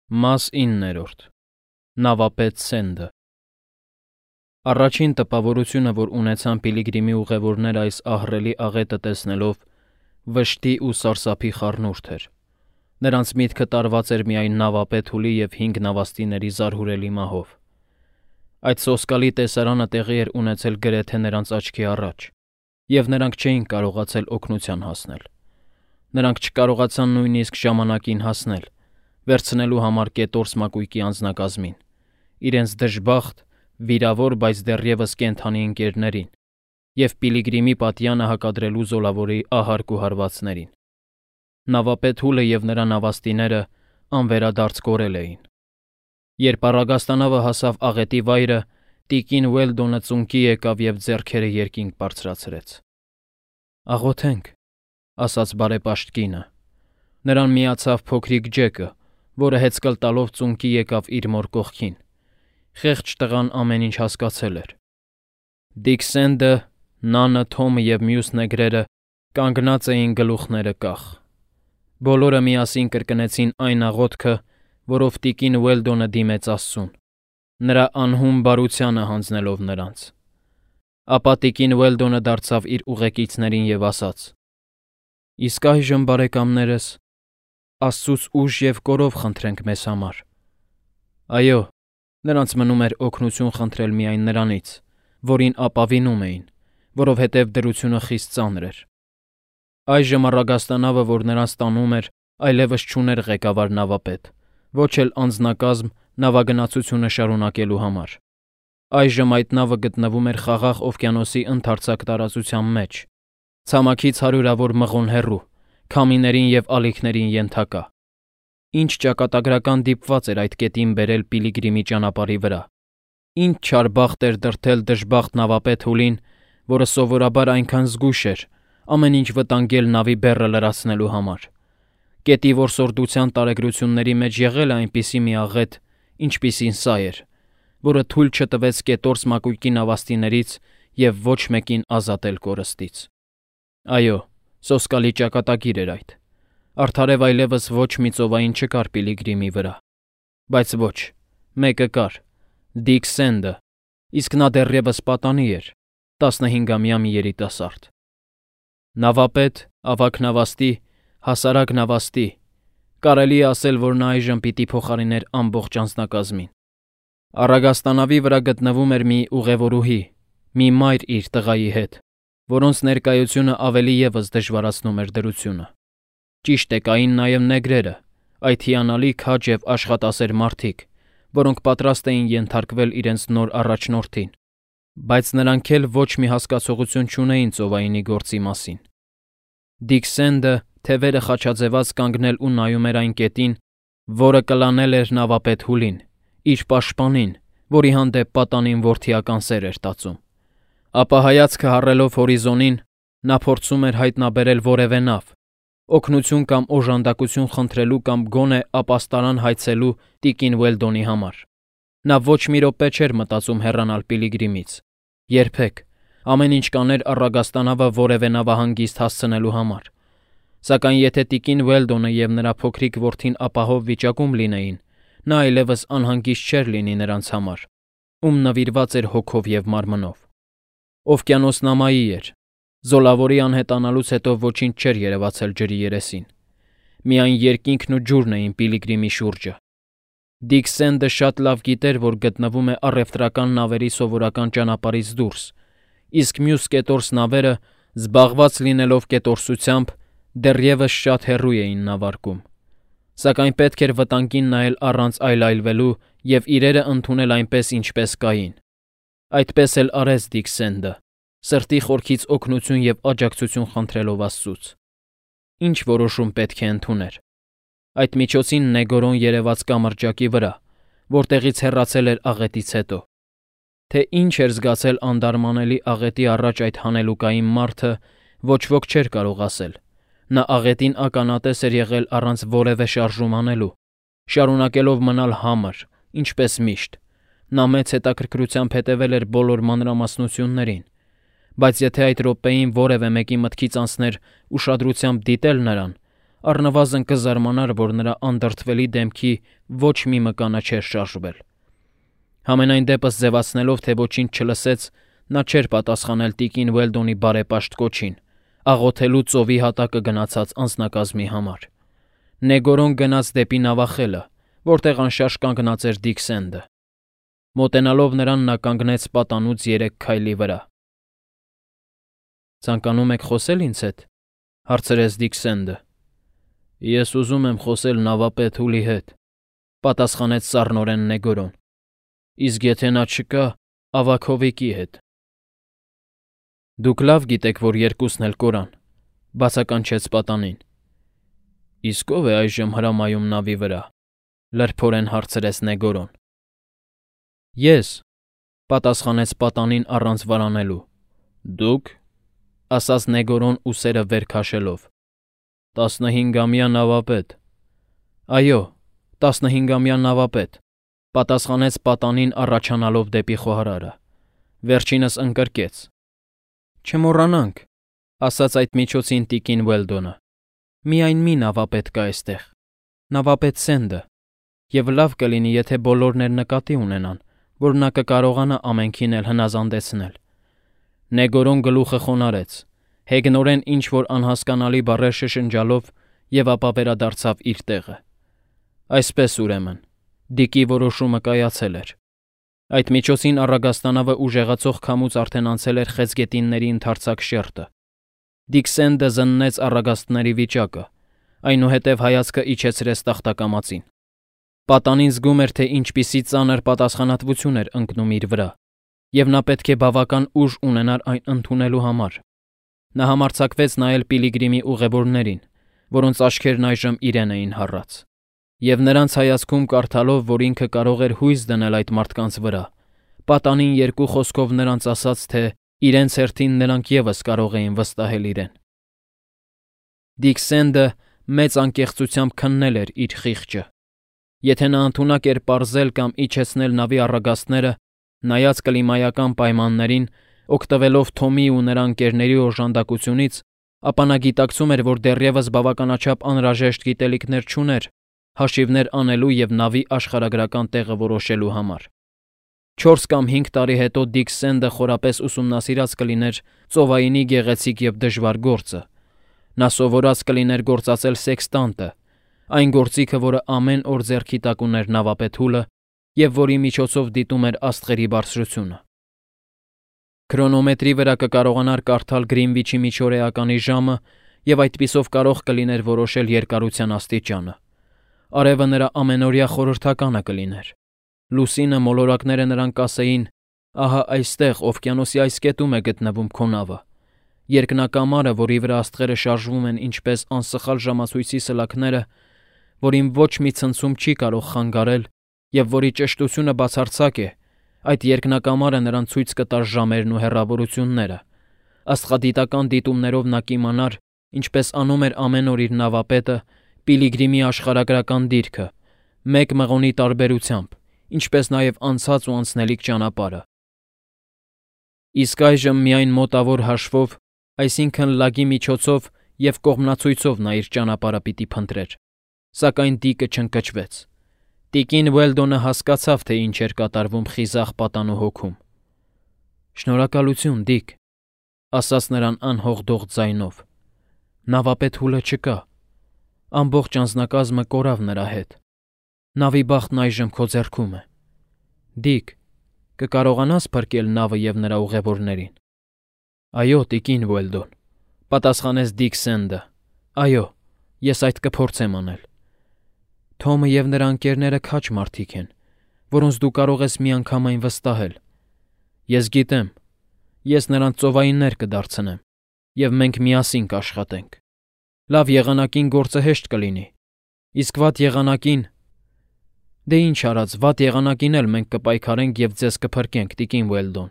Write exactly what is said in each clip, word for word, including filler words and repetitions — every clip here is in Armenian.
Մաս իններորդ. Նավապետ Սենդը Առաջին տպավորությունը, որ ունեցան Պիլիգրիմի ուղևորները այս ահռելի աղետը տեսնելով, վշտի ու սարսափի խառնուրդ էր։ Նրանց միտքը տարված էր միայն նավապետ Հուլի և հինգ նավաստիների զարհուրելի մահով։ Այդ սոսկալի տեսարանը տեղի էր ունեցել գրեթե նրանց աչքի առաջ, և նրանք չէին կարողացել օգնության հասնել։ Նրանք չկարողացան նույնիսկ ժամանակին հասնել, վերցնելու համար կետորս մակույկի անձնակազմին, իրենց դժբախտ, վիրավոր, բայց դեռևս կենդանի ընկերներին և Պիլիգրիմի պատյանը հակադրելու զոլավորի ահարկ ու հարվածներին։ Նավապետ Հուլը և նրա նավաստիները անվերադարձ կորել էին։ Երբ առագաստանավը հասավ աղետի վայրը, տիկին Ուելդոնը ծունկի եկավ և ձեռքերը երկինք բարձրացրեց։ «Աղոթենք», ասաց բարեպաշտ կինը։ Նրան միացավ փոքրիկ Ջեկը, որը հեծկլ տալով ծունկի եկավ իր մոր կողքին։ Խեղճ տղան ամեն ինչ հասկացել էր։ Դիկ Սենդը, Նանը, Թոմը և մյուս նեգրերը կանգնած էին գլուխները կախ։ Բոլորը միասին կրկնեցին այն աղոթքը, որով տիկին Ուելդոնը դիմեց Աստծուն, նրա անհուն բարությանը հանձնելով նրանց։ Ապա տիկին Ուելդոնը դարձավ իր ուղեկիցներին և ասաց. «Իսկ այժմ, բարեկամներս, Աստծուց ուժ և կորով խնդրենք մեզ համար»։ Այո, նրանց մնում էր օգնություն խնդրել միայն Նրանից, որին ապավինում էին, որովհետև դրությունը խիստ ծանր էր։ Այժմ առագաստանավը, որ նրանց տանում էր, այլևս չուներ ղեկավար նավապետ, ոչ էլ անձնակազմ նավագնացությունը շարունակելու համար։ Այժմ այդ նավը գտնվում էր Խաղաղ օվկիանոսի ընդարձակ տարածության մեջ, ցամաքից հարյուրավոր մղոն հեռու, քամիներին և ալիքներին ենթակա։ Ինչ ճակատագրական դիպված էր այդ կետին բերել Պիլիգրիմի ճանապարհի վրա։ Ինչ չար բախտ էր դրդել դժբախտ նավապետ Հուլին, որը սովորաբար այնքան զգույշ էր, ամեն ինչ վտանգել նավի բեռը լրացնելու համար։ Կետի որսորդության տարեգրությունների մեջ եղել է այնպիսի մի աղետ, ինչպիսին սա էր, որը թույլ չտվեց կետորս մակույկի նավաստիներից և ոչ մեկին ազատել կորստից։ Այո, սոսկալի ճակատագիր էր այդ։ Արդարև այլևս ոչ մի ծովային չկար Պիլիգրիմի վրա։ Բայց ոչ, մեկը կար՝ Դիկ Սենդը, իսկ նա դեռևս պատանի էր, տասնհինգամյա մի երիտասարդ։ Նավապետ, ավագ նավաստի, հասարակ նավաստի, կարելի է ասել, որ նա այժմ պիտի փոխարիներ ամբողջ անձնակազմին։ Առագաստանավի վրա գտնվում էր մի ուղևորուհի, մի մայր իր տղայի հետ, որոնց ներկայությունը ավելի ևս դժվարացնում էր դրությունը։ Ճիշտ է, կային նաև նեգրերը, այդ հիանալի քաջ և աշխատասեր մարդիկ, որոնք պատրաստ էին ենթարկվել իրենց նոր առաջնորդին, բայց նրանք էլ ոչ մի հասկացողություն չունեին ծովայինի գործի մասին։ Դիկ Սենդը թևերը խաչաձևած կանգնել ու նայում էր այն կետին, որը կլանել էր նավապետ Հուլին, իր պաշտպանին, որի հանդեպ պատանին որդիական սեր էր տածում։ Ապա հայացքը հառելով հորիզոնին, նա փորձում էր հայտնաբերել որևէ նավ, օգնություն կամ օժանդակություն խնդրելու կամ գոնե ապաստարան հայցելու տիկին Ուելդոնի համար։ Նա ոչ մի րոպե չէր մտածում հեռանալ Պիլիգրիմից։ Երբեք։ Ամեն ինչ կաներ առագաստանավը որևէ նավահանգիստ հասցնելու համար։ Սակայն եթե տիկին Ուելդոնը և նրա փոքրիկ որդին ապահով վիճակում լինեին, նա այլևս անհանգիստ չէր լինի նրանց համար, ում նվիրված էր հոգով և մարմնով։ Օվկիանոսն ամայի էր։ Զոլավորի անհետանալուց հետո ոչինչ չէր երևացել ջրի երեսին։ Միայն երկինքն ու ջուրն էին Պիլիգրիմի շուրջը։ Դիկ Սենդը շատ լավ գիտեր, որ գտնվում է առևտրական նավերի սովորական ճանապարհից դուրս, իսկ մյուս կետորս նավերը, զբաղված լինելով կետորսությամբ, դեռևս շատ հեռու էին նավարկում։ Սակայն պետք էր վտանգին նայել առանց այլայլվելու և իրերը ընդունել այնպես, ինչպես կային։ Այդպես էլ արեց Դիկ Սենդը, սրտի խորքից օգնություն և աջակցություն խնդրելով Աստծուց։ Ինչ որոշում պետք է ընդուներ։ Այդ միջոցին Նեգորոն երևաց կամրջակի վրա, որտեղից հեռացել էր աղետից հետո։ Թե ինչ էր զգացել անդարմանելի աղետի առաջ այդ հանելուկային մարդը, ոչ ոք չէր կարող ասել։ Նա աղետին ականատես էր եղել առանց որևէ շարժում անելու, շարունակելով մնալ համր, ինչպես միշտ։ Նա մեծ հետաքրքրությամբ հետևել էր բոլոր մանրամասնություններին, բայց եթե այդ րոպեին որևէ մեկի մտքից անցներ ուշադրությամբ դիտել նրան, առնվազն կզարմանար, որ նրա անդրդվելի դեմքի ոչ մի մկանը չէր շարժվել։ Համենայն դեպս ձևացնելով, թե ոչինչ չլսեց, նա չէր պատասխանել տիկին Ուելդոնի բարեպաշտ կոչին, աղոթելու ծովի հատակը գնացած անձնակազմի համար։ Նեգորոն գնաց դեպի նավախելը, որտեղ անշարժ կանգնած էր Դիքսենդը։ Մոտենալով նրան, նա կանգնեց պատանուց երեք քայլի վրա։ «Ցանկանում եք խոսել ինձ հետ», հարցրեց Դիքսենդը։ «Ես ուզում եմ խոսել նավապետ Հուլի հետ», պատասխանեց սառնորեն Նեգորոն։ «Իսկ եթե նա չկա, ավագ Հովիկի հետ»։ «Դուք լավ գիտեք, որ երկուսն էլ կորան», բացականչեց պատանին։ «Իսկ ո՞վ է այժմ հրամայում նավի վրա», լրփորեն հարցրեց Նեգորոն։ «Ես», պատասխանեց պատանին առանց վարանելու։ «Դուք», ասաց Նեգորոն ուսերը վեր քաշելով։ «Տասնհինգամյա նավապետ»։ «Այո, տասնհինգամյա նավապետ», պատասխանեց պատանին առաջանալով դեպի խոհարարը։ Վերջինս ընկրկեց։ «Չմոռանանք», ասաց այդ միջոցին տիկին Ուելդոնը։ «Միայն մի նավապետ կա այստեղ, նավապետ Սենդը, և լավ կլինի, եթե բոլորն էլ նկատի ունենան, որ նա կկարողանա ամենքին էլ հնազանդեցնել»։ Նեգորոն գլուխը խոնարհեց, հեգնորեն ինչ-որ անհասկանալի բառեր շշնջալով, և ապա վերադարձավ իր տեղը։ Այսպես, ուրեմն, Դիկի որոշումը կայացել էր։ Այդ միջոցին առագաստանավը ուժեղացող քամուց արդեն անցել էր խեցգետինների ընդարձակ շերտը։ Դիքսենդը զննեց առագաստների վիճակը, այնուհետև հայացքը իջեցրեց տախտակամածին։ Պատանին զգում էր, թե ինչպիսի ծանր պատասխանատվություն էր ընկնում իր վրա, և նա պետք է բավական ուժ ունենար այն ընդունելու համար։ Նա համարձակվեց նայել Պիլիգրիմի ուղևորներին, որոնց աչքերն այժմ իրեն էին հառած, և նրանց հայացքում կարդալով, որ ինքը կարող էր հույս դնել այդ մարդկանց վրա, պատանին երկու խոսքով նրանց ասաց, թե իրենց հերթին նրանք ևս կարող էին վստահել իրեն։ Դիքսենդը մեծ անկեղծությամբ քննել էր իր խիղճը։ Եթե նա ընդունակ էր պարզել կամ իջեցնել նավի առագաստները, նայած կլիմայական պայմաններին, օգտվելով Թոմի ու նրա ընկերների օժանդակությունից, ապա նա գիտակցում էր, որ դեռևս բավականաչափ անհրաժեշտ գիտելիքներ չուներ հաշիվներ անելու և նավի աշխարհագրական տեղը որոշելու համար։ Չորս կամ հինգ տարի հետո Դիքսենդը խորապես ուսումնասիրած կլիներ ծովայինի գեղեցիկ և դժվար գործը։ Նա սովորած կլիներ գործածել սեքստանտը, այն գործիքը, որը ամեն օր ձեռքի տակ ուներ նավապետ Հուլը և որի միջոցով դիտում էր աստղերի բարձրությունը։ Քրոնոմետրի վրա կկարողանար կարդալ Գրինվիչի միջօրեականի ժամը և այդպիսով կարող կլիներ որոշել երկարության աստիճանը։ Արևը նրա ամենօրյա խորհրդականը կլիներ։ Լուսինը մոլորակները նրան կասեին. «Ահա այստեղ, օվկիանոսի այս կետում է գտնվում քո նավը»։ Երկնակամարը, որի վրա աստղերը շարժվում են ինչպես անսխալ ժամացույցի սլաքները, որին ոչ մի ցնցում չի կարող խանգարել և որի ճշտությունը բացարձակ է, այդ երկնակամարը նրան ցույց կտար ժամերն ու հեռավորությունները։ Աստղադիտական դիտումներով նա կիմանար, ինչպես անում էր ամեն օր իր նավապետը, Պիլիգրիմի աշխարհագրական դիրքը, մեկ մղոնի տարբերությամբ, ինչպես նաև անցած ու անցնելիք ճանապարհը։ Իսկ այժմ միայն մոտավոր հաշվով, այսինքն լագի միջոցով և կողմնացույցով նա իր ճանապարհը պիտի փնտրեր։ Սակայն Դիկը չընկճվեց։ Տիկին Ուելդոնը հասկացավ, թե ինչ էր կատարվում խիզախ պատանու հոգում։ «Շնորհակալություն, Դիկ», ասաց նրան անհողդող ձայնով։ «Նավապետ Հուլը չկա։ Ամբողջ անձնակազմը կորավ նրա հետ։ Նավի բախտն այժմ քո ձեռքում է։ Դիկ, կկարողանա՞ս փրկել նավը և նրա ուղևորներին»։ «Այո, տիկին Ուելդոն», պատասխանեց Դիքսենդը։ «Այո, ես այդ կփորձեմ անել։ Թոմը և նրա ընկերները քաջ մարդիկ են, որոնց դու կարող ես միանգամայն վստահել։ Ես գիտեմ, ես նրանց ծովայիններ կդարձնեմ, և մենք միասին կաշխատենք։ Լավ եղանակին գործը հեշտ կլինի, իսկ վատ եղանակին… Դե ինչ արած, վատ եղանակին էլ մենք կպայքարենք և ձեզ կփրկենք, տիկին Ուելդոն,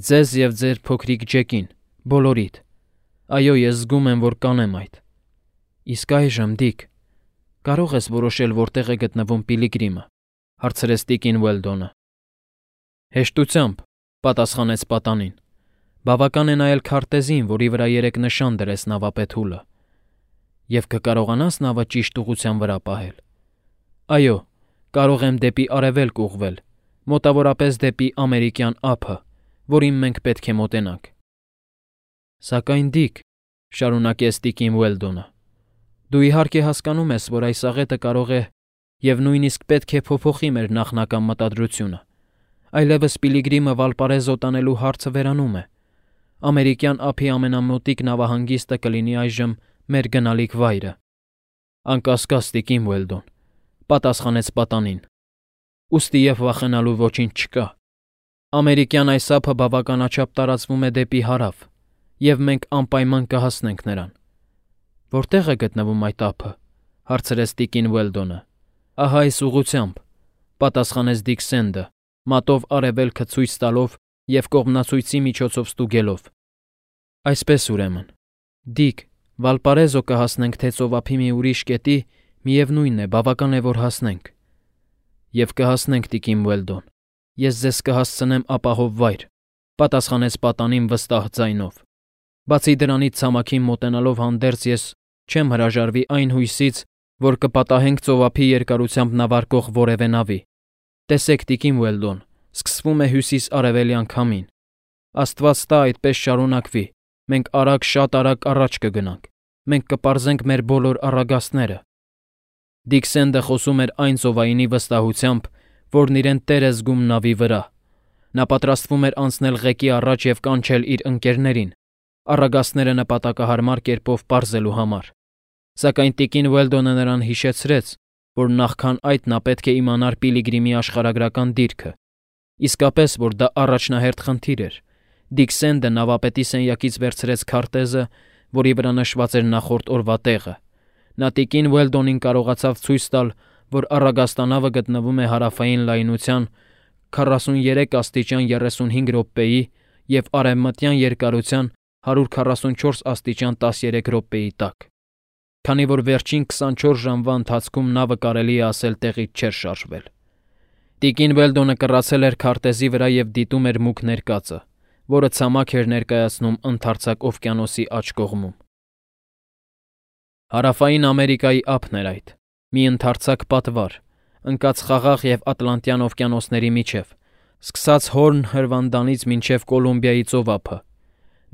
ձեզ և ձեր փոքրիկ Ջեկին, բոլորիդ։ Այո, ես զգում եմ, որ կանեմ այդ։ Իսկ այժմ, Դիկ, կարո՞ղ ես որոշել, որտեղ է գտնվում Պիլիգրիմը», հարցրեց տիկին Ուելդոնը։ «Հեշտությամբ», պատասխանեց պատանին։ «Բավական է նայել քարտեզին, որի վրա երեք նշան դրեց նավապետ Հուլը։ Եվ կկարողանաս նավը ճիշտ ուղղության վրա պահել։ Այո, կարող եմ դեպի արևելք ուղղվել, մոտավորապես դեպի ամերիկյան ափը, որին մենք պետք է մոտենանք։ Սակայն Դիք, շարունակեց տիկին Ուելդոնը, դու իհարկե հասկանում ես, որ այս աղետը կարող է և նույնիսկ պետք է փոփոխի մեր նախնական մտադրությունը։ Այլևս Պիլիգրիմը Վալպարեզո տանելու հարցը վերանում է։ Ամերիկյան ափի ամենամոտիկ նավահանգիստը կլինի այժմ մեր գնալիք վայրը։ Անկասկած, տիկին Ուելդոն, պատասխանեց պատանին։ Ուստի և վախենալու ոչինչ չկա։ Ամերիկյան այս ափը բավականաչափ տարածվում է դեպի հարավ, և մենք անպայման կհասնենք նրան։ Որտեղ է գտնվում այդ ափը, հարցրեց տիկին Ուելդոնը։ Ահա այս ուղղությամբ, պատասխանեց Դիք Սենդը, մատով արևելքը ցույց տալով և կողմնացույցի միջոցով ստուգելով։ Այսպես ուրեմն, Դիք, Վալպարեզո կհասնենք թե ծովափի մի ուրիշ կետի, միևնույն է, բավական է, որ հասնենք։ Եվ կհասնենք, տիկին Ուելդոն, ես ձեզ կհասցնեմ ապահով վայր, պատասխանեց պատանին վստահ ձայնով։ Բացի դրանից ցամաքին մոտենալով հանդերձ ես չեմ հրաժարվի այն հույսից, որ կպատահենք ծովափի երկարությամբ նավարկող որևէ նավի։ Տեսեք, տիկին Ուելդոն, սկսվում է հյուսիս-արևելյան քամին։ Աստված տա այդպես շարունակվի, մենք արագ, շատ արագ առաջ կգնանք, մենք կպարզենք մեր բոլոր առագաստները։ Դիք Սենդը խոսում էր այն ծովայինի վստահությամբ, որն իրեն տեր է զգում նավի վրա։ Նա պատրաստվում էր անցնել ղեկի առաջ և կանչել իր ընկերներին, առագաստները նպատակահարմար կերպով պարզելու համար։ Սակայն տիկին Ուելդոնը նրան հիշեցրեց, որ նախքան այդ նա պետք է իմանար Պիլիգրիմի աշխարհագրական դիրքը։ Իսկապես, որ դա առաջնահերթ խնդիր էր։ Դիք Սենդը նավապետի սենյակից վերցրեց քարտեզը, որի վրա նշված էր նախորդ օրվա տեղը։ Նա տիկին Ուելդոնին կարողացավ ցույց տալ, որ առագաստանավը գտնվում է հարավային լայնության քառասուններեք աստիճան երեսունհինգ րոպեի և արևմտյան երկարության հարյուր քառասունչորս աստիճան տասներեք րոպեի տակ։ Քանի որ վերջին քսանչորս ժամվա ընթացքում նավը կարելի է ասել տեղից չէր շարժվել։ Տիկին Ուելդոնը կռացել էր քարտեզի վրա և դիտում էր մուգ ներկածը, որը ցամաք էր ներկայացնում ընդարձակ օվկիանոսի աջ կողմում։ Հարավային Ամերիկայի ափն էր այդ, մի ընդարձակ պատվար, ընկած Խաղաղ և Ատլանտյան օվկիանոսների միջև, սկսած Հորն հրվանդանից մինչև Կոլումբիայի ծովափը։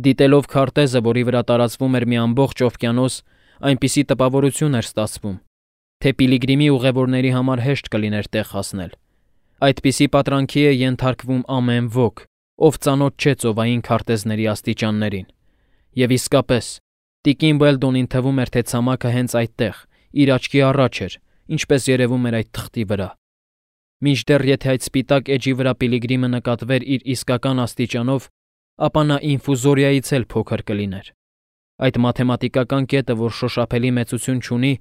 Դիտելով քարտեզը, որի վրա տարածվում էր մի ամբողջ օվկիանոս, այնպիսի տպավորություն էր ստացվում, թե Պիլիգրիմի ուղևորների համար հեշտ կլիներ տեղ հասնել։ Այդպիսի պատրանքի է ենթարկվում ամեն ոք, ով ծանոթ չէ ծովային քարտեզների աստիճաններին։ Եվ իսկապես, տիկին Ուելդոնին թվում էր, թե ցամաքը հենց այդտեղ, իր աչքի առաջ էր, ինչպես երևում էր այդ թղթի վրա։ Մինչդեռ եթե այդ սպիտակ էջի վրա Պիլիգրիմը նկատվեր իր իսկական աստիճանով, ապա նա ինֆուզորիայից էլ փոքր կլիներ։ Այդ մաթեմատիկական կետը, որ շոշափելի մեծություն չունի,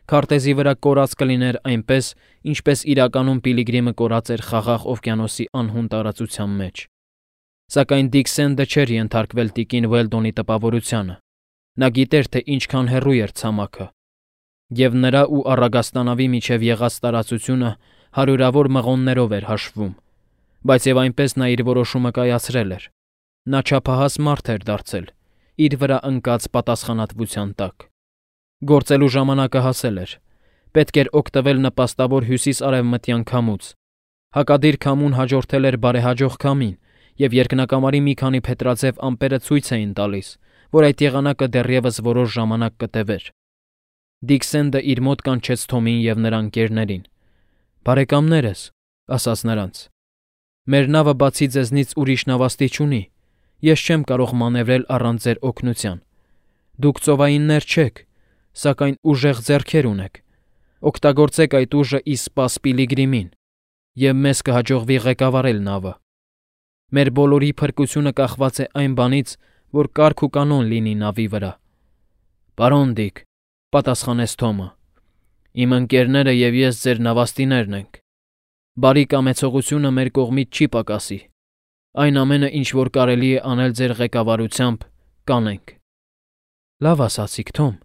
քարտեզի վրա կորած կլիներ այնպես, ինչպես իրականում Պիլիգրիմը կորած էր Խաղաղ օվկիանոսի անհուն տարածության մեջ։ Սակայն Դիք Սենդը չէր ենթարկվել տիկին Ուելդոնի տպավորությանը։ Նա գիտեր, թե ինչքան հեռու էր ցամաքը, և նրա ու առագաստանավի միջև եղած տարածությունը հարյուրավոր մղոններով էր հաշվում, բայց և այնպես նա իր որոշումը կայացրել էր։ Նա չափահաս մարդ էր դարձել, իր վրա ընկած պատասխանատվության տակ։ Գործելու ժամանակը հասել էր։ Պետք էր օգտվել նպաստավոր հյուսիս-արևմտյան քամուց։ Հակադիր քամուն հաջորդել էր բարեհաջող քամին, և երկնակամարի մի քանի փետրաձև ամպերը ցույց էին տալիս, որ այդ եղանակը դեռևս որոշ ժամանակ կտևեր։ Դիք Սենդը իր մոտ կանչեց Թոմին և նրա ընկերներին։ «Բարեկամներս», ասաց նրանց, «մեր նավը բացի ձեզնից ուրիշ նավաստի չունի։ Ես չեմ կարող մանևրել առանց ձեր օգնության։ Դուք ծովայիններ չեք, սակայն ուժեղ ձեռքեր ունեք։ Օգտագործեք այդ ուժը ի սպաս Պիլիգրիմին, և մեզ կհաջողվի ղեկավարել նավը։ Մեր բոլորի փրկությունը կախված է այն բանից, որ կարգ ու կանոն լինի նավի վրա»։ «Պարոն Դիք», պատասխանեց Թոմը, «իմ ընկերները և ես ձեր նավաստիներն ենք։ Բարի կամեցողությունը մեր կողմից չի պակասի։ Այն ամենը, ինչ որ կարելի է անել ձեր ղեկավարությամբ, կանենք»։ «Լավ ասացիք, Թոմ»,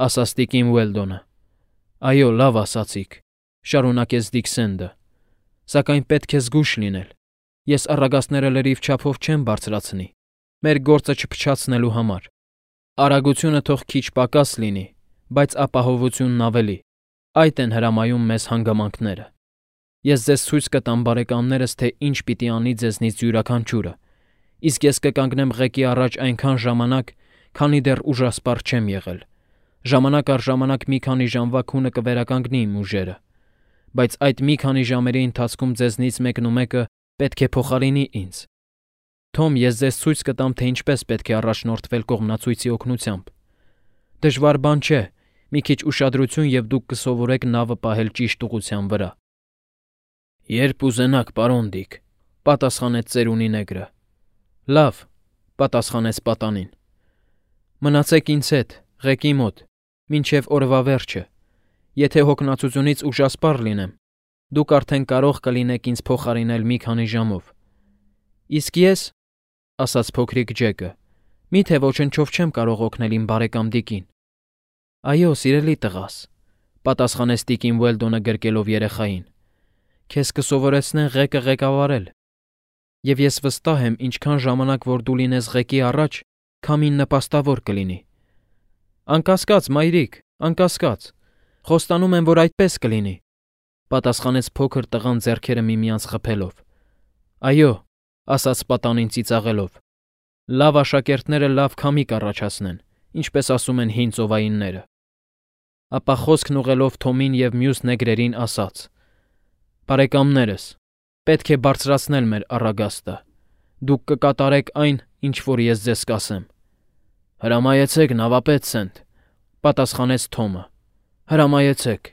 ասաց տիկին Ուելդոնը։ «Այո, լավ ասացիք», շարունակեց Դիք Սենդը, «սակայն պետք է զգույշ լինել։ Ես առագաստները լրիվ չափով չեմ բարձրացնի, մեր գործը չփչացնելու համար։ Արագությունը թող քիչ պակաս լինի, բայց ապահովությունն ավելի։ Այդ են հրամայում մեզ հանգամանքները։ Ես ձեզ ցույց կտամ, բարեկամներս, թե ինչ պիտի անի ձեզնից յուրաքանչյուրը, իսկ ես կկանգնեմ ղեկի առաջ այնքան ժամանակ, քանի դեռ ուժասպառ չեմ եղել։ Ժամանակ առ ժամանակ մի քանի ժամվա քունը կվերականգնի իմ ուժերը, բայց այդ մի քանի ժամերի ընթացքում ձեզնից մեկն ու մեկը պետք է փոխարինի ինձ։ Թոմ, ես ձեզ ցույց կտամ, թե ինչպես պետք է առաջնորդվել կողմնացույցի օգնությամբ։ Դժվար բան չէ, մի քիչ ուշադրություն և դուք կսովորեք նավը պահել ճիշտ ուղղության վրա։ Երբ ուզենաք, պարոն Դիկ, պատասխանեց ծերունի նեգրը։ Լավ, պատասխանեց պատանին։ Մնացեք ինձ հետ, ղեկի մոտ, մինչև օրվա վերջը։ Եթե հոգնածությունից ուժասպառ լինեմ, դուք արդեն կարող կլինեք ինձ փոխարինել մի քանի ժամով։ Իսկ ես, ասաց փոքրիկ Ջեկը, միթե ոչնչով չեմ կարող օգնել իմ բարեկամ Դիկին։ Այո, սիրելի տղաս, պատասխանեց տիկին Ուելդոնը գրկելով երեխային։ Քեզ կսովորեցնեն ղեկը ղեկավարել։ Եվ ես վստահ եմ, ինչքան ժամանակ որ դու լինես ղեկի առաջ, քամին նպաստավոր կլինի։ Անկասկած, մայրիկ, անկասկած, խոստանում եմ, որ այդպես կլինի, պատասխանեց փոքր տղան ձեռքերը միմյանց խփելով։ Այո, ասաց պատանին ծիծաղելով։ Լավ աշակերտները լավ քամի կառաջացնեն, ինչպես ասում են հին ծովայինները։ Ապա խոսքն ուղղելով Թոմին և մյուս նեգրերին ասաց. Բարեկամներս, պետք է բարձրացնել մեր առագաստը։ Դուք կկատարեք այն, ինչ որ ես ձեզ կասեմ։ Հրամայեցեք, նավապետ Սենթ, պատասխանեց Թոմը։ Հրամայեցեք։